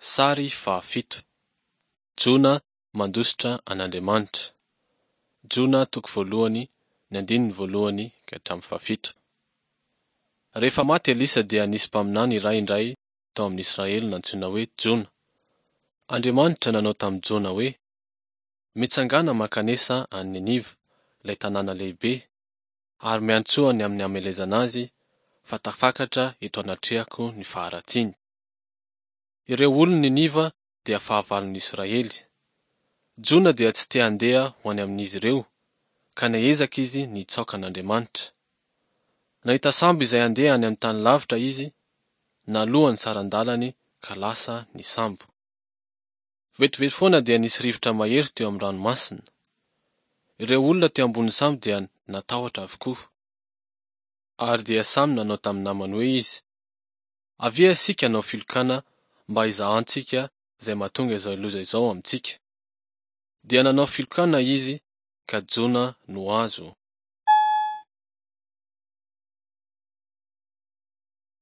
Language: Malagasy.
Sary fahafito. Jona mandositra an'Andriamanitra. Jona toko voalohany, ny andininy voalohany ka hatramin'ny fahafito. Rehefa maty Elisa dia nisy mpaminany iray indray tao amin'ny Israely nantsoina hoe Jona. Andriamanitra nanao tamin'i Jona hoe, Mitsangàna mankanesa any Niniva, ilay tanàna lehibe, ary miantsoa ny amin'ny hamelezana azy, fa tafakatra eto anatrehako ny faharatsiany. Ireo olon'i Niniva dia fahavalon'ny Israely. Jona dia tsy te handeha ho any amin'izy ireo, ka niezaka izy ny hitsaoka an'Andriamanitra. Nahita sambo izay handeha any amin'ny tany lavitra izy, naloa ny saran-dalany ka lasa ny sambo. Vetivety foana dia nisy rivotra mahery teo amin'ny ranomasina. Ireo olona teo ambonin'ny sambo dia natahotra avokoa. Ary dia samy nanao tamin'ny namany hoe izy, Avia isika hanao filokana mba hizahantsika izay mahatonga izao loza izao amintsika. Dia nanao filokana izy ka Jona no azo.